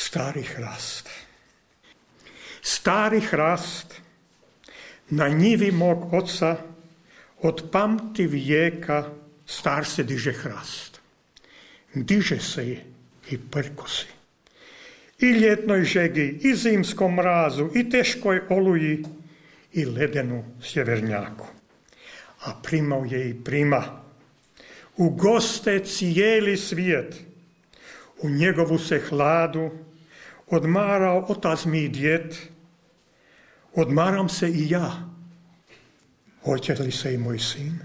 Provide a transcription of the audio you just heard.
Stari hrast. Stari hrast, na njivi mog oca, od pamti vijeka star se diže hrast. Diže se i prkosi. I ljetnoj žegi, i zimskom mrazu, i teškoj oluji, i ledenu sjevernjaku. A primao je i prima. U goste cijeli svijet. U njegovu se hladu odmarao otac mi i djed. Odmaram se i ja. Hoće li se i moj sin?